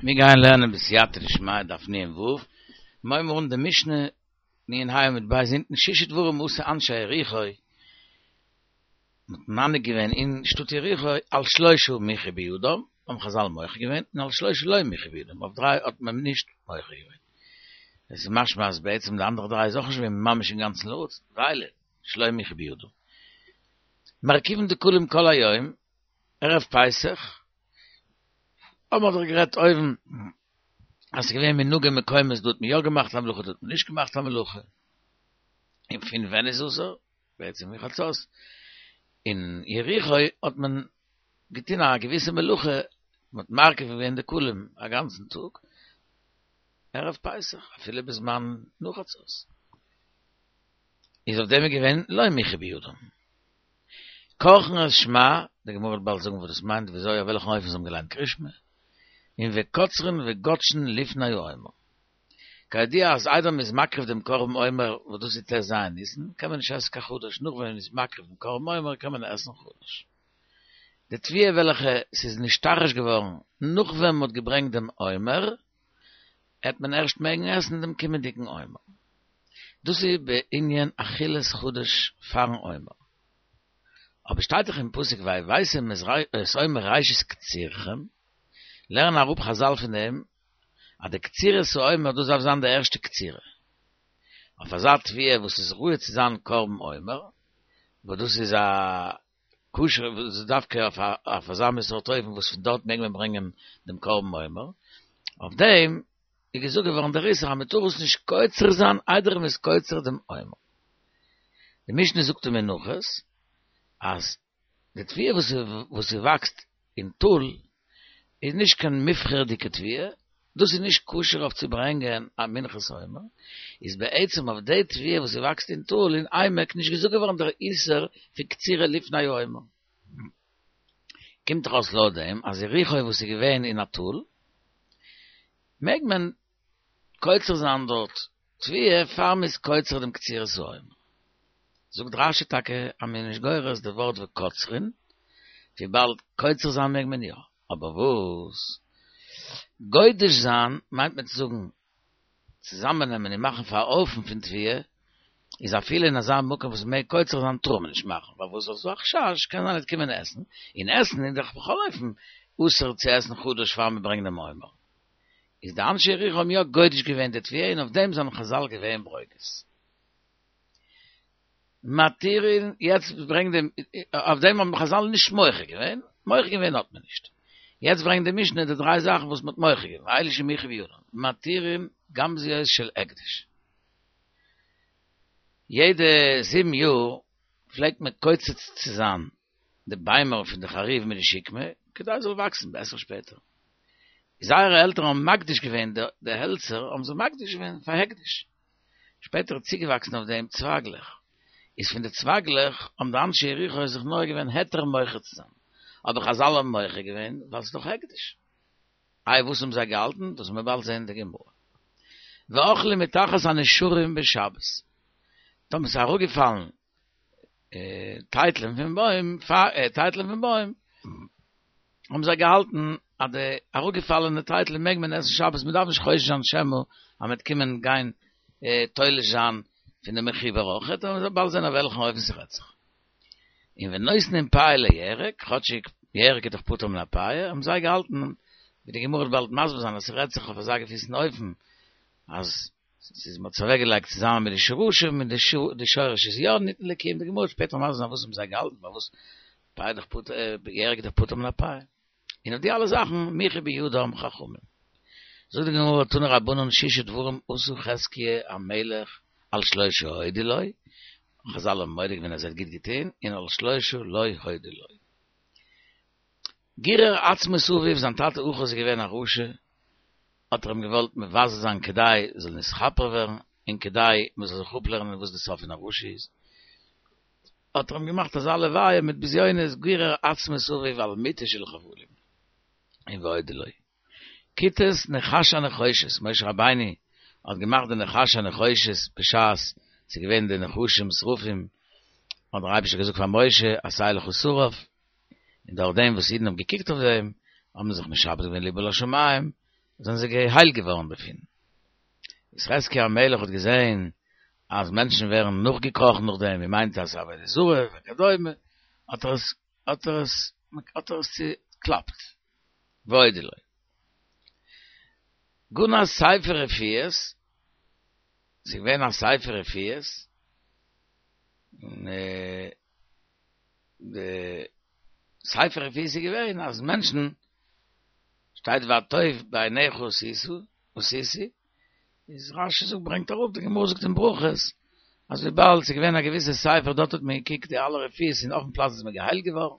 מיר גייען לערנען בסייעתא דשמיא דף נ"ו, מיר הייבן אן די משנה נ"ה עמוד ב' אונטן שישה דברים עשו אנשי יריחו, מ'האט מנהיג געווען אין שטאט יריחו על שלשה מיחו בידם, האבן חזל מוחה געווען, און על שלשה לא מיחו בידם, אויף דריי האט מען נישט מוחה געווען. עס איז משמע אז בעצם די אנדערע דריי איז אויך נישט געווען ממש אינגאנצן לרצון, ואלו שלא מיחו בידם. מרכיבין דקלים כל היום, ערב פסח, האבן מיר דאך גערעדט אויבן אז ס'איז געווען מנהגי מקומות דא האט מען יא געמאכט א מלאכה דא האט מען נישט געמאכט א מלאכה, און פון ווען איז אסור? בעצם מחצות. אין יריחו האט מען געטון א געוויסע מלאכה, מען האט מרכיב געווען דקלים א גאנצן טאג ערב פסח אפילו בזמן נאך חצות, איז אויף דעם איז געווען לא מיחו בידם. כורכין את שמע, די גמרא וועט באלד זאגן וואס דאס מיינט, וויאזוי אויף וועלכן אופן זיי האבן געליינט קרישמע, און וקוצרין וגודשין לפני העומר. כידוע אז איידער מען איז מקריב דעם קרבן עומר, וואס דאס איז ט"ז ניסן, קען מען נישט עסן קיין חדש, נאך ווען מען איז מקריב דעם קרבן עומר קען מען עסן חדש. די תבואה וועלכע ס'איז נשתרש געווארן נאך ווען מען האט געברענגט דעם עומר, העט מען ערשט מעגן עסן דעם קומענדיגן עומר. דאס איז בענין אכילת חדש פארן עומר. אבער שטייט דאך אין פסוק והבאתם את עומר ראשית קצירכם, לערנען אראפ חזל פון דעם אז די קצירת העומר דאס דארף זיין די ערשטע קצירה. אויף אזא תבואה וואס איז ראוי צו זיין קרבן עומר, וואס דאס איז א כשר וואס איז דווקא אויף אזא מין סארט אופן וואס פון דארט מעג מען ברענגען דעם קרבן עומר, אויף דעם איז געזאגט געווארן דער איסור אז מען טאר עס נישט קוצר זיין איידער מען איז קוצר דעם עומר. די משנה זאגט אין מנחות אז די תבואה וואס ס'וואקסט אין טאל איז נישט קיין מובחר'דיגע תבואה, דאס איז נישט כשר אויף צו ברענגען א מנחת עומר, איז בעצם אויף די תבואה וואס ס'וואקסט אין טאל אין עמק נישט געזאגט געווארן דער איסור פון קצירה לפני העומר. קומט דאך אויס לויט דעם אז יריחו וואס איז געווען אין א טאל מעג מען קוצר זיין דארט תבואה פאר מ'איז קוצר דעם קצירת העומר. זאגט רש"י טאקע אז מ'איז נישט גורס די ווארט וקוצרין, וויבאלד קוצר זיין מעג מען יא, אבער וואס גודש זיין מיינט מען צו זאגן צוזאמענעמען און מאכן פאר א הויפן פון תבואה, איז אפילו אין אזא מקום וואס מ'מעג קוצר זיין טאר מען נישט מאכן, ווייל וואס ס'איז דא א חשש קען זיין ער וועט קומען עסן, און עסן איז דאך בכל אופן אסור צו עסן חדש פאר מ'ברענגט דעם עומר. איז די אנשי יריחו האבן יא גודש געווען די תבואה און אויף דעם זענען חזל געווען ברוגז. מתירין, יעצט ברענגט די, אויף דעם האבן חזל נישט מוחה געווען, מוחה געווען האט מען נישט. יעצט ברענגט די משנה די דריי זאכן וואס מען האט מוחה געווען, ואלו שמיחו בידן, מתירין גמזיות של הקדש. יעדע זיבן יאר פלעגט מען קוצץ צו זיין די ביימער פון די חרוב מיט די שקמה, כדי עס זאל וואקסן בעסער שפעטער. זייערע עלטערן האבן מקדיש געווען די העלצער, האבן זיי מקדיש געווען פאר הקדש. שפעטער איז צוגעוואקסן אויף דעם צווייגלעך. איז פון די צווייגלעך האבן די אנשי יריחו זיך נוהג געווען היתר מוחה צו זיין. אבער חזל האבן מוחה געווען ווייל ס'איז דאך הקדש. איי וואס האבן זיי געהאלטן? דאס וועט מען באלד זען אין די גמרא. ואוכלים מתחת הנשרים בשבת. טאמער ס'איז אראפגעפאלן טייטלען פון בוים, טייטלען פון בוים, האבן זיי געהאלטן אז די אראפגעפאלענע טייטלען מעג מען עסן שבת, מען דארף נישט חושש זיין שמא אז מען וועט קומען גיין תולש זיין פון די מחובר אויכעט, און מ'וועט באלד זען אויף וועלכן אופן ס'רעדט זיך. און ונותנין פאה לירק, כאטשיג ירק איז דאך פטור מן הפאה, האבן זיי געהאלטן, ווי די גמרא וועט באלד מסביר זיין אז ס'רעדט זיך אויף אזא געוויסן אופן אז ס'איז מ'האט עס אוועקגעלייגט צוזאמען מיט די שרשים און די שורש איז יא ניתן לקיום, די גמרא וועט שפעטער מסביר זיין וואס האבן זיי געהאלטן פארוואס פאה איז דאך פטור ירק איז דאך פטור מן הפאה און אויף די אלע זאכן מיחו בידם חכמים. זאגט די גמרא תנו רבנן שישה דברים עשה חזקיה המלך על שלשה הודו לו, חזל האבן מודה געווען אז ער האט גוט געטון, און על שלשה לא הודו לו. גירר עצמות אביו, זיין טאטע אחז איז געווען א רשע, האט ער אים געוואלט מבזה זיין כדי זאל נתכפר ווערן, און כדי מען זאל זיך אפלערנען וואס די סוף פון א רשע איז, האט ער אים געמאכט אזא לוויה מיט בזיונות, גירר עצמות אביו על מטה של חבלים, און והודו לו. כיתת נחש הנחושת, משה רבינו האט געמאכט די נחש הנחושת בשעת ס'איז געווען די נחשים שרפים, האט דער אייבערשטער געזאגט פאר משה עשה לך שרף, און דורך דעם וואס אידן האבן געקוקט אויף דעם, האבן זיך משעבד געווען לבם לשמים. זענען זיי געהיילט געווארן דערפון. איז חזקיה המלך האט געזען אז מענטשן ווערן נאכגעקראכן נאך דעם, מען מיינט אז ס'איז עבודה זרה וכדומה, האט ער עס האט ער עס האט ער עס צוקלאפט. והודו לו. גנז ספר רפואות, ס'איז געווען א ספר רפואות, און די ספר רפואות איז געווען אז מענטשן, שטייט והטוב בעיניך עשית, איז רשי זאגט ברענגט אראפ די גמרא זאגט אין ברכות אז וויבאלד ס'איז געווען א געוויסע ספר דארט האט מען געקוקט די אלע רפואות און אויפן פלאץ איז מען געהיילט געווארן,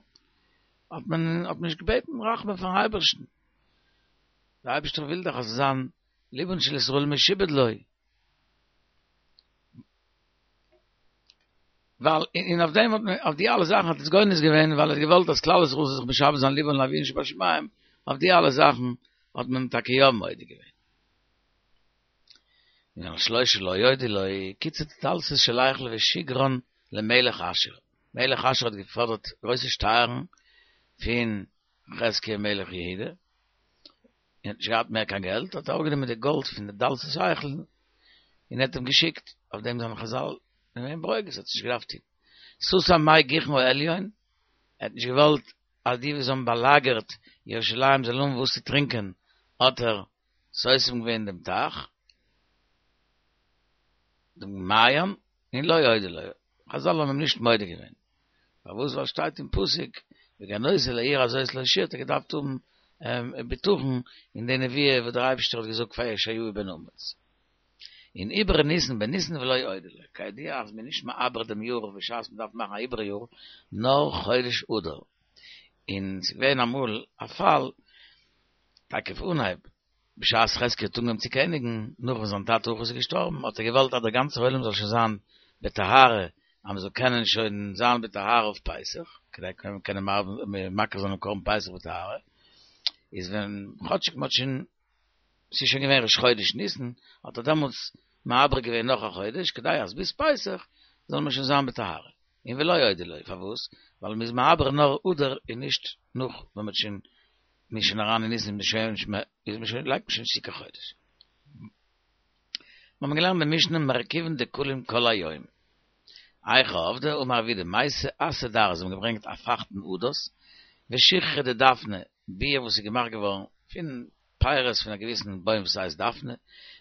האט מען האט מען נישט געבעטן רחמים פארן אייבערשטן, דער אייבערשטער וויל דאך אז ס'זאל זיין לבן של ישראל משועבד לו. ווייל און אויף דעם האט מען אויף די אלע זאכן האט עס גונז געווען ווייל ער האט געוואלט אז כלל ישראל זאל זיך משעבד זיין לבם לאביהם שבשמים, אויף די אלע זאכן האט מען טאקע יא מודה געווען. און על שלשה לא הודו לו, קיצץ דלתות של היכל ושיגרן למלך אשור, מלך אשור האט געפאדערט גרויסע שטייערן פון חזקיה מלך יהודה, און האט נישט געהאט מער קיין געלט, האט ער אראפגענומען די גאלד פון די דלתות היכל, און האט אים געשיקט, אויף דעם זענען חזל געווען ברוגז, האט עס נישט געדארפט טון. סתם מי גיחון העליון, ער האט נישט געוואלט אז די וואס האבן באלאגערט ירושלים זאלן האבן וואס צו טרינקען, האט ער סותם געווען דעם טייך, דעם מעיין, און לא הודו לו, חזל האבן אים נישט מודה געווען, פארוואס ווייל שטייט אין פסוק והגנותי לעיר הזאת להושיע האט ער געדארפט האבן בטחון אין די נבואה וואס דער אייבערשטער האט געזאגט פאר ישעיהו בן אמוץ. און עיבר ניסן בניסן ולא הודו לו, כידוע אז מען איז נישט מעבר דעם יאר בשעת מען דארף מאכן א עיבור יאר נאר חודש אדר, און ס'איז געווען אמאל א פאל טאקע פון אנהייב בשעת חזקיה האט אנגעהויבן צו קעניגן, נאך וואס זיין טאטע אחז איז געשטארבן, האט ער געוואלט אז דער גאנצער עולם זאל שוין זיין בטהרה, אז מען זאל קענען שוין זיין בטהרה אויף פסח, כדי קענען מקריב זיין דעם קרבן פסח בטהרה, איז ווען כאטשיג מען האט שוין, ס'איז שוין געווען ראש חודש ניסן, האט ער דעמאלטס מעבר געווען נאך א חודש, כדי אז ביז פסח זאל מען שוין זיין בטהרה. און ולא הודו לו, פארוואס? ווייל מען איז מעבר נאר אדר און נישט נאך ווען מען האט שוין מ'איז שוין אריין אין ניסן איז מען שוין איז מען שוין לייגט מען שוין נישט צו קיין חודש. מיר האבן געלערנט די משנה מרכיבין דקלים כל היום. היכי עבדי אמר רב יהודה מייתי אסא דארעא זיי האבן געברענגט א פייכטן הדס ושיכרא דדפנא ביר וואס איז געמאכט געווארן פון פירות פון א געוויסן בוים וואס הייסט דפנה,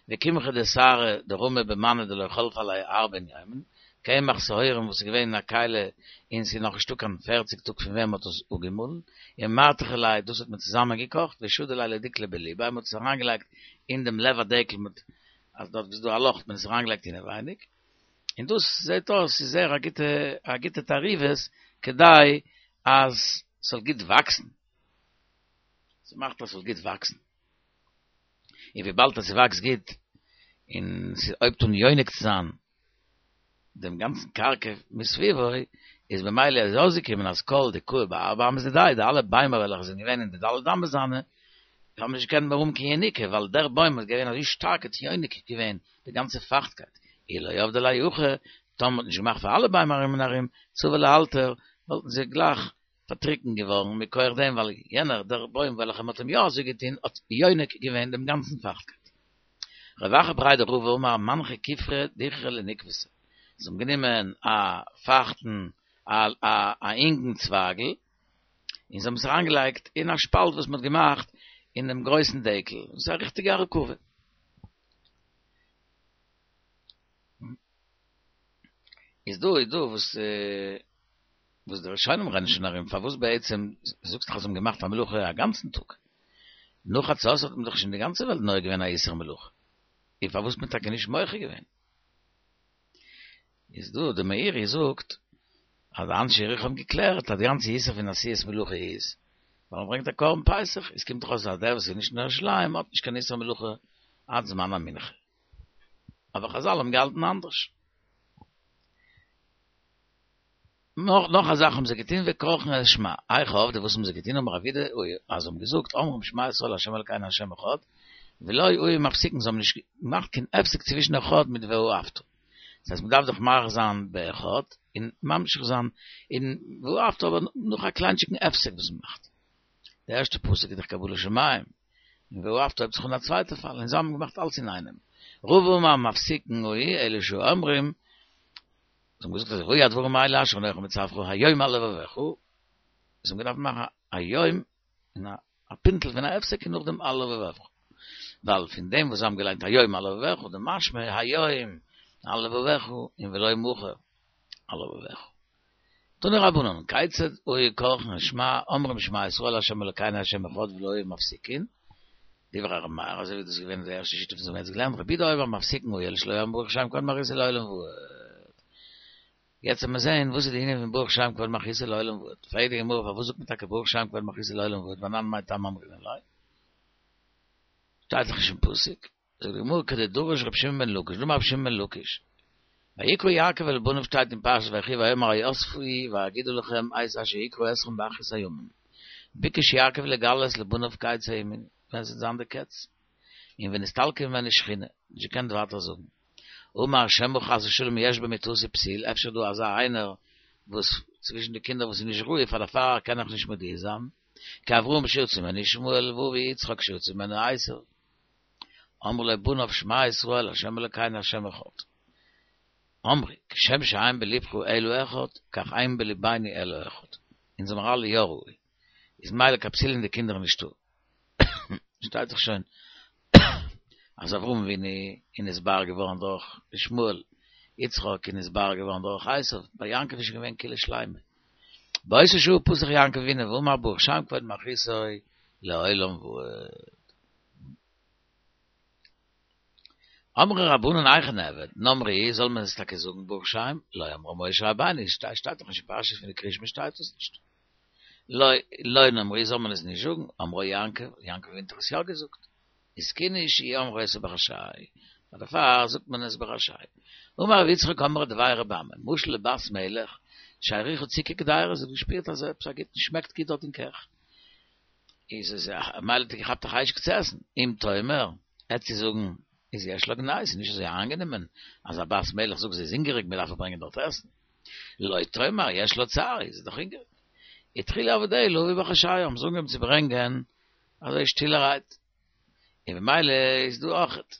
וקמחא דשערי דרמי במני דלא חלפי עליה ארבעין יומין, קמח שעורים וואס איז געווען אין א כלי און ס'איז נאך נישטא קיין פערציג טאג פון ווען מ'האט עס אפגעמאלן, ומתחי ליה דאס האט מען צוזאמען געקאכט, ושדי ליה לדיקלא בליביה, מ'האט עס אריינגעלייגט אין דעם לב הדקל מיט אז דארט איז דא א לאך האט מען עס אריינגעלייגט אינעווייניג, און דאס זעט אויס איז זייער א גוטע א גוטע תערובת כדי אז ס'זאל גוט וואקסן. ס'מאכט אז ס'זאל גוט וואקסן. און וויבאלד אז ס'וואקסט גוט, און ס'הויבט אן יונק צו זיין דעם גאנצן קרקע מסביבו, איז במילא איז אויסגעקומען אז כל דקאי בארבע אמות דידיה, די אלע ביימער וועלכע זענען געווען אין די ד' אמות זיינע, האבן נישט געקענט מער האבן קיין יניקה, ווייל דער בוים איז געווען אזוי שטארק האט יונק געווען די גאנצע פייכטקייט. אי לא עבדי ליה הכי, טאמער מ'האט נישט געמאכט פאר אלע ביימער ארום און ארום, צבעי לאלתר, וואלטן זיי גלייך פארטריקנט געווארן מכח דעם ווייל יענער דער בוים וועלכער מ'האט אים יא אזוי געטון האט יונק געווען דעם גאנצן פייכטקייט. רב אחא בריה דרבא אמר מנחו כופרא דכרא לנקבתא, זיי האבן גענומען א פייכטן א א אינגן צווייגל און זיי האבן עס אריינגעלייגט אין א שפאלט וואס מ'האט געמאכט אין דעם גרויסן דקל, דאס איז א ריכטיגע הרכבה. איז דא איז דא וואס וואס די ראשונים רעדן שוין ארום פארוואס בעצם זאגסט דאך אז זיי האבן געמאכט א מלאכה א גאנצן טאג נאך חצות האט מען דאך שוין די גאנצע וועלט נוהג געווען א איסור מלאכה און פארוואס מען טאקע נישט מוחה געווען איז דא די מאירי זאגט אז די אנשי יריחו האבן געקלערט אז די גאנצע איסור פון עשיית מלאכה איז ווייל מען ברענגט א קרבן פסח עס קומט דאך אויס אז דער וואס איז נישט אין ירושלים האט נישט קיין איסור מלאכה עד זמן המנחה אבער חזל האבן געהאלטן אנדערש. נאך נאך א זאך האבן זיי געטון וכורכין את שמע, היכי עבדי וואס האבן זיי געטון אמר רב יהודה אז זיי האבן געזאגט אומרים שמע ישראל ה' אלקינו ה' אחד, ולא היו מפסיקין זיי האבן נישט געמאכט קיין הפסק צווישן אחד מיט ואהבת, דאס הייסט מען דארף דאך מאריך זיין באחד און ממשיך זיין אין ואהבת אבער נאך א קליינטשיגן הפסק וואס מען מאכט. די ערשטע פסוק איז דאך קבלת שמים. און ואהבת הויבט זיך אן א צווייטע פאל, און זיי האבן געמאכט אלץ אינאיינעם. רבא אמר מפסיקין היו אלא שאומרים, זיי האבן געזאגט אזוי, והיו הדברים האלה אשר אנכי מצוך היום על לבבך, זיי האבן געדארפט מאכן א היום און א פינטל פון א הפסק און נאכדעם על לבבך, ווייל פון דעם וואס זיי האבן געליינט היום על לבבך דמשמע היום על לבבך און ולא מחר על לבבך. תנו רבנן, כיצד היו כורכין שמע, אומרים שמע ישראל ה' אלקינו ה' אחד ולא היו מפסיקין, דברי ר' מאיר, אזוי ווי דאס איז געווען די ערשטע שיטה וואס מ'האט יעצט געלערנט, רבי יהודה אומר מפסיקין היו אלא שלא אמרו ברוך שם כבוד מלכותו לעולם ועד. יעצט וועט מען זען וואס איז די ענין פון ברוך שם כבוד מלכותו לעולם ועד. פרעגט די גמרא פארוואס זאגט מען טאקע ברוך שם כבוד מלכותו לעולם ועד ואנן מאי טעמא אמרינן ליה? שטייט דאך נישט אין פסוק. זאגט די גמרא כדדרש רבי שמעון בן לקיש, דאמר רבי שמעון בן לקיש, ויקרא יעקב אל בניו שטייט אין פרשת ויחי ויאמר האספו ואגידה לכם את אשר יקרא אתכם באחרית הימים, ביקש יעקב לגלות לבניו קץ הימים, ווען ס'וועט זיין די קץ, און ונסתלקה ממנו שכינה, נישט געקענט ווייטער זאגן. אמר שמא חס ושלום יש במיטתי פתיל, אפשר איז דא אזא איינער וואס צווישן די קינדער וואס איז נישט ראוי פאר דערפאר קען איך נישט מודיע זיין, כאברהם שיצא ממנו ישמעאל ואבי יצחק שיצא ממנו עשו. אמרו לו בניו שמע ישראל ה' אלקינו ה' אחד. אמרו, כשם שאין בלבך אלא אחד, כך אין בלבינו אלא אחד. אונז זעמער אלע יא ראוי. איז מילא קיין פסול אין די קינדער נישטא. שטייט זיך שוין אז אברהם אבינו איז נתבאר געווארן דורך ישמעאל, יצחק איז נתבאר געווארן דורך עשו, ביי יעקב איז שוין געווען כולא שלימא. באותה שעה פתח יעקב אבינו ואמר ברוך שם כבוד מלכותו לעולם ועד. אמרי רבנן היכי נעביד, נאמרוהו זאל מען עס טאקע זאגן ברוך שם, לא אמרה משה רבינו, שטייט דאך נישט אין פרשה פון די קריאת שמע שטייט עס נישט. לא לא נאמרוהו זאל מען עס נישט זאגן, אמרה יעקב, יעקב אבינו האט עס יא געזאגט. התקינו שיהו אומרים אותו בחשאי, דערפאר זאגט מען עס בחשאי. אמר רב יצחק אמרי דבי רבי אמי, משל לבת מלך, שהריחה ציקי קדירה, זי האט געשפירט אז עפעס א גוטן שמעקט גוט דארט אין קיך. איז עס מילא האט געכאפט א חשק צו עסן, אם תאמר, עט זי זאגן, איז יש לה גנאי, ס'איז נישט אזוי איינגענומען אז א בת מלך זאגט זי איז הונגעריג מען דארף איר ברענגען דארט עסן, לא תאמר יש לה צער, זי איז דאך הונגעריג. התחילו עבדיה להביא בחשאי, האבן זיי אנגעהויבן צו ברענגען אזוי שטילערהייט, און במילא איז דא אויכעט,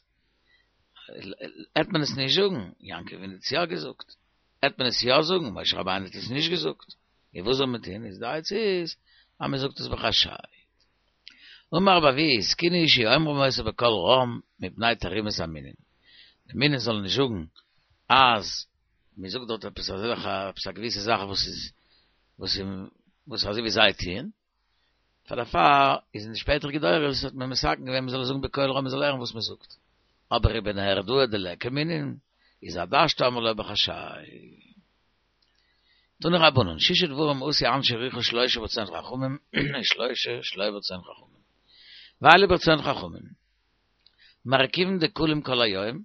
עט מען עס נישט זאגן, יעקב אבינו האט עס יא געזאגט, עט מען עס יא זאגן, משה רבינו האט עס נישט געזאגט. און וואס זאל מען טון, איז די עצה איז אז מען זאגט עס בחשאי. אמר רבי אבהו התקינו שיהו אומרים אותו בקול רם מפני תרעומת המינים, די מינים זאלן נישט זאגן אז מען זאגט דארט עפעס אזעלכע עפעס א געוויסע זאך וואס איז וואס איז וואס אזוי ווי זיי טוען, פאר דערפאר איז אין די שפעטערע דורות האט מען מתקן געווען מען זאל עס זאגן בקול רם מען זאל הערן וואס מען זאגט, אבער ובנהרדעא דליכא מינין איז עד השתא אמרי לה בחשאי. תנו רבנן, שישה דברים עשו אנשי יריחו שלושה ברצון חכמים ושלושה שלא ברצון חכמים. ואלו ברצון חכמים. מרכיבין דקלים כל היום,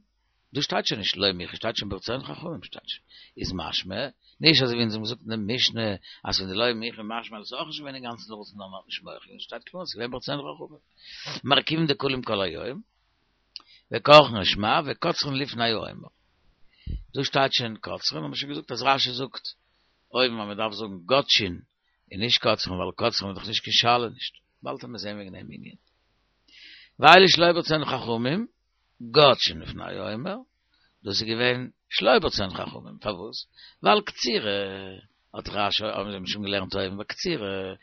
דא שטייט שוין נישט לא מיחו, שטייט שוין ברצון חכמים שטייט שוין. איז משמע, נישט אזוי ווי אונז האבן געזאגט אין די משנה, אז פון די לא מיחו משמע אז עס איז אויך נישט געווען אינגאנצן רצון נאר מען האט נישט מוחה געווען, שטייט קלאר אז עס איז געווען ברצון חכמים. מרכיבין דקלים כל היום, וכורכין שמע וקוצרין לפני העומר. דא שטייט שוין קוצרין, האבן מיר שוין געזאגט אז רש"י זאגט אויבן אז מען דארף זאגן גודשין און נישט קוצרין ווייל קוצרין איז דאך נישט קיין שאלה נישט. באלד וועט מען זען וועגן דעם ענין. ואלו שלא ברצון חכמים, גודשין לפני העומר, דאס איז געווען שלא ברצון חכמים, פארוואס? ווייל קצירה האט רש"י האבן מיר שוין געלערנט אויבן ביי קצירה,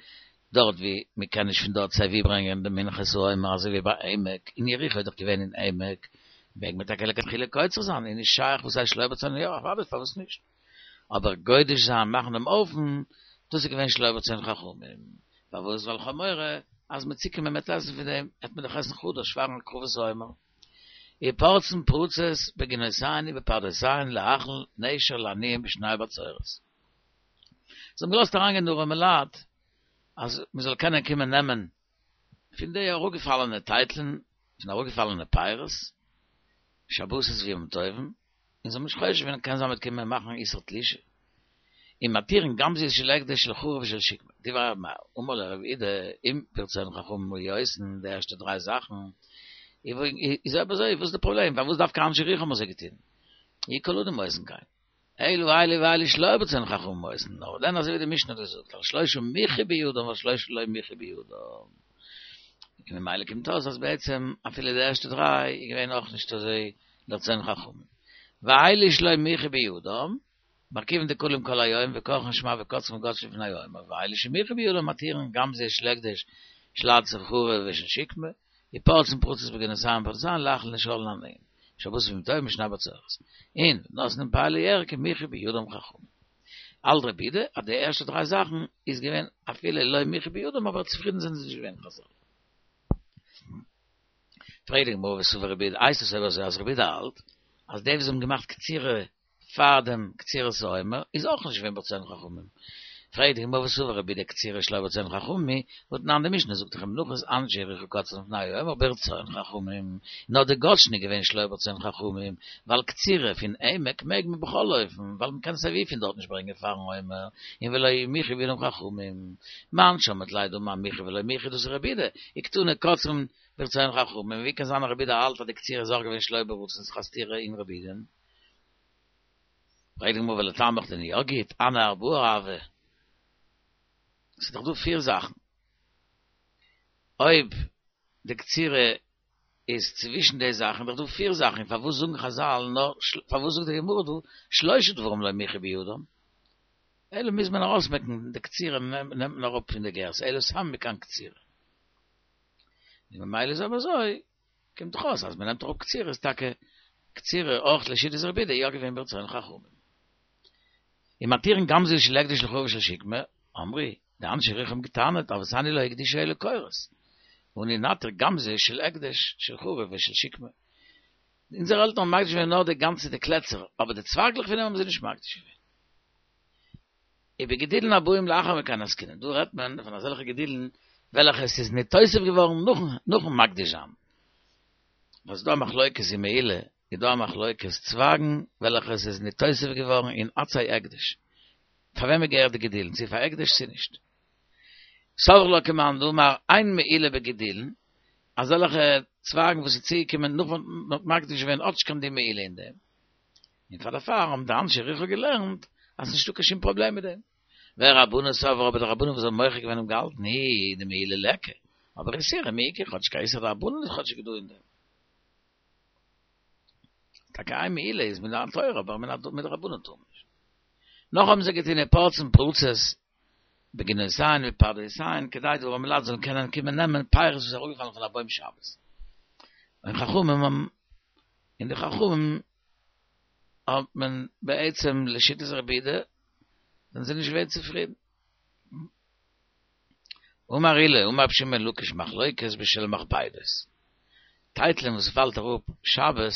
דארט ווי מען קען נישט פון דארט סיי ווי ברענגען די מנחת העומר אזוי ווי ביי עמק, אין יריחו איז דאך געווען אין עמק, מעג מען טאקע לכתחילה קוצר זיין, איז נישט שייך וואס הייסט שלא ברצון, יא אוודאי פארוואס נישט, אבער גודש זיין מאכן דעם אופן, דאס איז געווען שלא ברצון חכמים, פארוואס ווייל כ'האב מורא אז מ'עט צוקומען מ'עט עסן פון דעם, עט מען דאך עסן חדש פארן הקרבת העומר. ופורצין פרצות בגינותיהן ובפרדסיהן להאכיל נשר לעניים בשני בצורת. זיי האבן געלאזט אריינגיין די ארעמע לייט אז מען זאל קענען קומען נעמען פון די אראפגעפאלענע טייטלען, פון אראפגעפאלענע פירות, שבתות וימים טובים, און זיי האבן נישט חושש געווען קען זיין מ'וועט קומען מאכן איסור תלישה. ומתירין גמזיות של הקדש של חרוב ושל שקמה. דברי ר' מאיר, אמר לו רב אידי, אם ברצון חכמים היו עושין די ערשטע דריי זאכן, איז אויב אזוי וואס איז די פראבלעם, פארוואס דווקא אנשי יריחו האבן אזוי געטון? יהא כל אדם עושין כן. אלא אלו ואלו שלא ברצון חכמים עושין, נאר דען אזוי ווי די משנה האט געזאגט, על שלושה מיחו בידם ועל שלושה לא מיחו בידם. און ממילא קומט אויס אז בעצם אפילו די ערשטע דריי איז געווען אויך נישט אזוי לרצון חכמים. ואלו שלא מיחו בידם, מרכיבין דקלים כל היום וכורכין שמע וקוצרין וגודשין לפני העומר, ואלו שמיחו בידם מתירין גמזי של הקדש של עצי חרוב ושל שקמה, ופורצין פרצות בגינותיהן ובפרדסיהן להאכיל נשאלין עניים, שבתות וימים טובים ושני בצורת. און ונותנין פאה לירק אם מיחו בידם חכמים. האלט רבי יהודה אז די ערשטע דריי זאכן איז געווען אפילו לא מיחו בידם אבער צופרידן זענען זיי נישט געווען חזל. פרעגט די גמרא וסבר רבי יהודה הייסט עס אויב אזוי אז רבי יהודה האלט אז די וואס האבן געמאכט קצירה פאר דעם קצירת העומר איז אויך נישט געווען ברצון חכמים. פרעגט די גמרא וסבר רבי יהודה קצירה שלא ברצון חכמים היא, והתנן די משנה זאגט דאך ומנחת אנשי יריחו קוצרין לפני העומר ברצון חכמים, נאר די גודשין איז געווען שלא ברצון חכמים, ווייל קצירה פון עמק מעג מען בכל אופן, ווייל מ'קען סיי ווי פון דארט נישט ברענגען פארן עומר, און ולא מיחו בידם חכמים. מאן שמעת ליה דאמר מיחו ולא מיחו דאס איז רבי יהודה, וקתני קוצרין ברצון חכמים, ווי קען זיין אז רבי יהודה האלט אז די קצירה איז אויך געווען שלא ברצון ס'איז א סתירה אין רבי יהודה'ן. פרעגט די גמרא ולטעמיך דען יא גוט, הני ארבעה הוו. ס'איז דאך דא פיר זאכן. אויב די קצירה איז צווישן די זאכן, איז דאך דא פיר זאכן, פארוואס זאגן חזל נאר, פארוואס זאגט די גמרא דא שלשה דברים לא מיחו בידם? אלא מוז מען ארויסמעקן די קצירה נעמט מען אראפ פון די גירסא, אלא סתם מכאן קצירה. און ממילא איז אויב אזוי, קומט דאך אויס אז מען נעמט אראפ קצירה איז טאקע קצירה אויך לשיטת רבי יהודה יא געווען ברצון חכמים. ומתירין גמזו של הקדש של חרובה ושל שקמה, אמרי, די אנשי יריחו האבן געטענה'ט אבותינו לא הקדישו אלא קורות, ואנו נתיר גמזו של הקדש של חרובה ושל שקמה. אונזערע עלטערן האבן מקדיש געווען נאר די גאנצע די קלעצער, אבער די צווייגלעך פון דעם האבן זיי נישט מקדיש געווען. ובגידולין הבאים לאחר מכאן עסקינן, דא רעדט מען פון אזעלכע גידולין וועלכע עס איז ניתוסף געווארן נאכן מקדיש זיין. וואס דא א מחלוקת אין מעילה, איז דא א מחלוקת צווייגן וועלכע עס איז ניתוסף געווארן אין עצי הקדש, פאר וועמען געהערט די גידולין, צו פאר הקדש צו נישט. סברי לה כמאן דאמר אין מעילה בגידולין, אזעלכע צווייגן וואס איז צוגעקומען נאך מען האט מקדיש געווען האט נישט קיין דין מעילה אין דעם. און פאר דערפאר האבן די אנשי יריחו געלערנט אז ס'נישטא קיין שום פראבלעם מיט דעם. ורבנן סברי אבער די רבנן וואס האבן מוחה געווען האבן געהאלטן הוא דמעילה ליכא, אבער איסורא מי איכא כאטש קיין איסור דרבנן איז כאטשיג דא אין דעם. טאקע איין מעילה איז מן התורה אבער מדרבנן טאר מען נישט. נאך האבן זיי געטון ופורצין פרצות בגינותיהן ובפרדסיהן כדי די ארימע לייט זאלן קענען קומען נעמען פירות וואס איז אראפגעפאלן פון א בוים שבת. און חכמים האבן און די חכמים האט מען בעצם לשיטת רבי יהודה זענען זיי נישט געווען צופרידן. אמר עולא, אמר רבי שמעון בן לקיש מחלוקת בשל מכבדות. טייטלען וואס פאלט אראפ שבת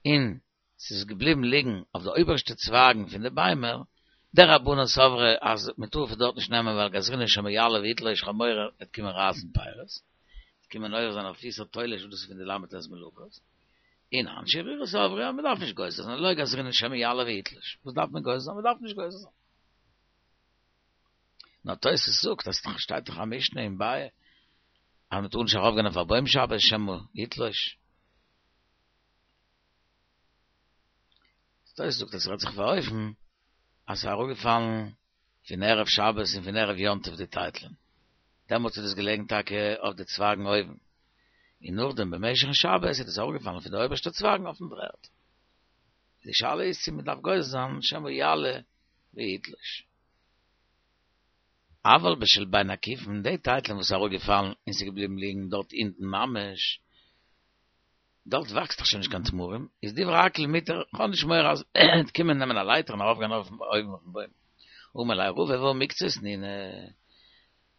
און ס'איז געבליבן ליגן אויף די אויבערשטע צווייגן פון די ביימער, דרבנן סברי אז מ'טאר פון דארט נישט נעמען ווייל גזרינן שמא יעלה ויתלוש כ'האב מורא וועט קומען רייסן פירות, וועט קומען עובר זיין אויף איסור תולש וואס דאס איז פון די ל"ט מלאכות, און אנשי יריחו סברי אז מ'דארף נישט גוזר זיין, לא גזרינן שמא יעלה ויתלוש, וואס דארף מען גוזר זיין? מ'דארף נישט גוזר זיין. נאר תוס' זאגט אז ס'שטייט דאך א משנה אין ביעא אז מ'טאר נישט ארויפגיין אויף א בוים שבת שמא יתלוש. תוס' זאגט אז ס'רעדט זיך אויף אן אופן אז ס'איז אראפגעפאלן פון ערב שבת און פון ערב יום טוב די טייטלען, דעמאלטס איז דאס געלעגן טאקע אויף די צווייגן אויבן, און נאכדעם במשך'ן שבת איז דאס אראפגעפאלן פון די אויבערשטע צווייגן אויפן דר'ערד. די שאלה איז צו מ'דארף גוזר זיין שמא יעלה ויתלוש. אבל בשל בין עקיפין, די טייטלען וואס איז אראפגעפאלן און ס'איז געבליבן ליגן דארט אונטן ממש, דארט וואקסט דאך שוין נישט קיין תמרים, איז דברי הכל מותר, כ'האב נישט מורא אז מ'עט קומען נעמען א לייטער און ארויפגיין אויפן אויבן אויפן בוים. אמר ליה רבא והא מוקצות נינהו.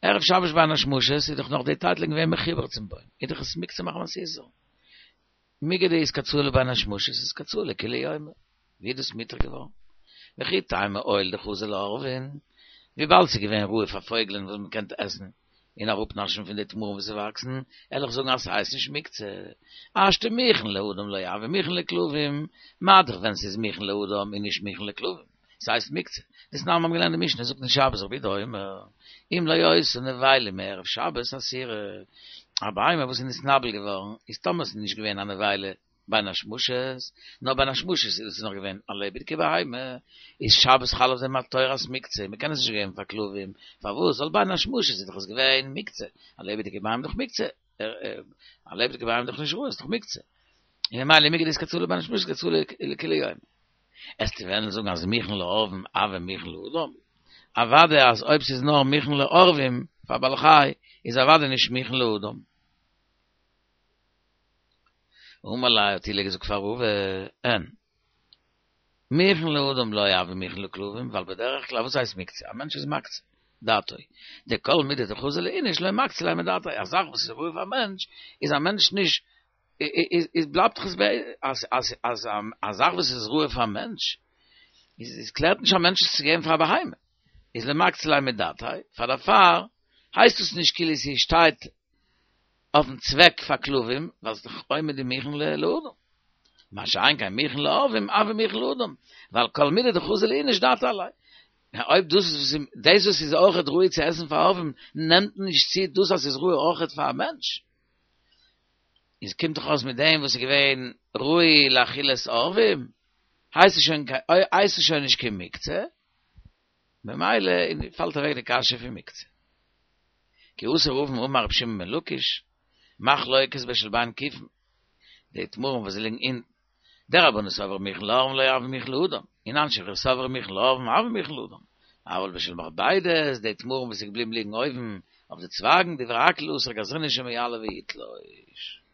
ערב שבת בין השמשות איז דאך נאך די טייטלען געווען מחובר צום בוים, איז דאך עס מוקצה מחמת איסור. מיגו דאיתקצאי לבין השמשות איתקצאי לכולי יומא, ווי איז דאס מותר געווארן? וכי תימא הואיל דחזו לעורבין, וויבאלד ס'איז געווען ראוי פאר פויגלען וואס מ'קען עסן און אראפנאשן פון די תמרים וואס וואקסן, וועל איך זאגן אז ס'הייסט נישט מוקצה. השתא מוכן לאדם לא הוי מוכן לכלבים, מה דאך ווען ס'איז מוכן לאדם און נישט מוכן לכלבים, ס'הייסט מוקצה. דתנן מ'האבן געלערנט די משנה זאגט אין שבת רבי יהודה אומר, אם לא היתה נבילה מערב שבת אסורה, א בהמה וואס איז נתנבל געווארן, איז טאמער ס'איז נישט געווען א נבילה. בין השמשות, נאר בין השמשות איז עס נאך געווען א לעבעדיגע בהמה, איז שבת חל אויף דעם א תורת מוקצה, מען קען עס נישט געבן פאר כלבים, פארוואס? ווייל בין השמשות איז דאך עס געווען מוקצה, א לעבעדיגע בהמה איז דאך מוקצה, א לעבעדיגע בהמה איז דאך נישט ראוי, איז דאך מוקצה. און ממילא מיגו דאיתקצאי לבין השמשות איתקצאי לכולי יומא. וועסטו וועלן זאגן אז מוכן לעורבים הוי מוכן לאדם, אוודאי אז אויב ס'איז נאר מוכן לעורבים פאר בעל חי איז אוודאי נישט מוכן לאדם. אמר ליה האט עולא געזאגט פאר רבא, אין מוכן לאדם לא הוי מוכן לכלבים, ווייל בדרך כלל וואס הייסט מוקצה? א מענטש איז מקצה דעתו, דכל מידי דחזי לאיניש לא מקצה ליה מדעתיה, א זאך וואס איז ראוי פאר א מענטש איז א מענטש נישט איז בלייבט דאך עס ביי אז אז אז א זאך וואס איז ראוי פאר א מענטש איז איז קלערט נישט א מענטש עס צו געבן פאר א בהמה איז לא מקצה ליה מדעתיה פאר דערפאר הייסט עס נישט כאילו ס'שטייט אויפן צוועק פאר כלבים ווייל ס'איז דאך עומד ומוכן לאדם מה שאין כן מוכן לעורבים הוי מוכן לאדם ווייל כל מידי דחזי לאיניש דעתיה עליה אויב דאס איז דאס וואס איז אויכעט ראוי צו עסן פאר עורבים נעמט נישט צו דאס אז ס'איז ראוי אויכעט פאר א מענטש. איז קומט דאך אויס מיט דעם וואס איז געווען ראוי לאכילת עורבים, הייסט עס שוין הייסט עס שוין נישט קיין מוקצה, ממילא פאלט אוועק די קשיא פון מוקצה. כי אתא רבין אמר רבי שמעון בן לקיש, מחלוקת בשל בין כיפין, די תמרים וואס ליגן אונטן, דרבנן סברי מוכן לעורבים לא הוי מוכן לאדם, און אנשי חיל סברי מוכן לעורבים הוי מוכן לאדם, אבל בשל מכבדות, די תמרים וואס איז געבליבן ליגן אויבן אויף די צווייגן, דברי הכל אסור גזרינן שמא יעלה ויתלוש.